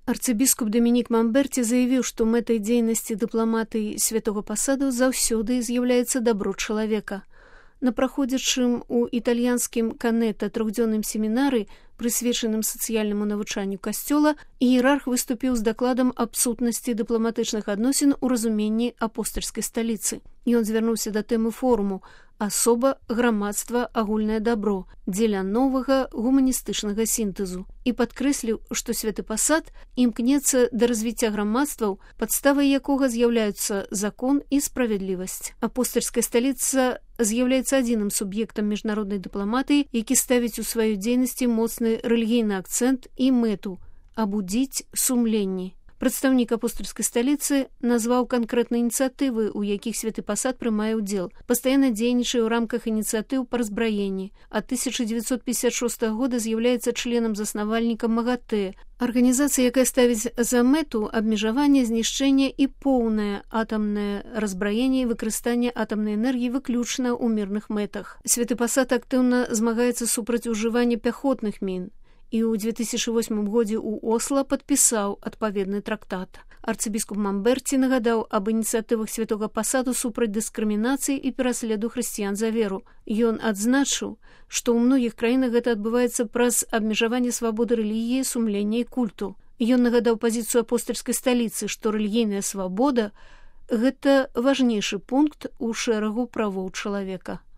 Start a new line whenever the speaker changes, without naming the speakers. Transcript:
Арцыбіскуп Дамінік Мамберці заявіў, што мэтай дзейнасці дыпламатыі святога пасаду заўсёды з'яўляецца дабро чалавека. На праходзячым у італьянскім Канета трохдзённым семінары, прысвечаным сацыяльнаму навучанню касцёла, іерарх выступіў з дакладам аб сутнасці дыпламатычных адносін у разуменні апостальскай сталіцы. Ён звярнуўся да тэмы форуму «Асоба, грамадства, агульнае дабро» дзеля новага гуманістычнага сінтэзу і падкрэсліў, што святы пасад імкнецца да развіцця грамадстваў, падставай якога з'яўляюцца закон і справядлівасць. Апостальская сталіца з'яўляецца адзіным суб'ектам міжнароднай дыпламатыі, які ставіць у сваёй дзейнасці моцны рэлігійны акцэнт і мэту – абудзіць сумленні. Прадстаўнік апостальскай сталіцы назваў канкрэтныя ініцыятывы, у якіх святы пасад прымае ўдзел. Пастаянна дзейнічае ў рамках ініцыятыў па разбраенні. Ад 1956 года з'яўляецца членам-заснавальнікам МАГАТЭ, арганізацыя, якая ставіць за мэту абмежаванне, знішчэнне і поўнае атамнае разбраенне і выкарыстанне атамнай энергіі выключна ў мірных мэтах. Святы пасад актыўна змагаецца супраць ужывання пяхотных мін і ў 2008 годзе ў Осла падпісаў адпаведны трактат. Арцыбіскуп Мамберці нагадаў аб ініцыятывах святога пасаду супраць дыскрымінацыі і пераследу хрысціян за веру. Ён адзначыў, што ў многіх краінах гэта адбываецца праз абмежаванне свабоды рэлігіі, сумлення і культу. Ён нагадаў пазіцыю апостальскай сталіцы, што рэлігійная свабода – гэта важнейшы пункт у шэрагу правоў чалавека.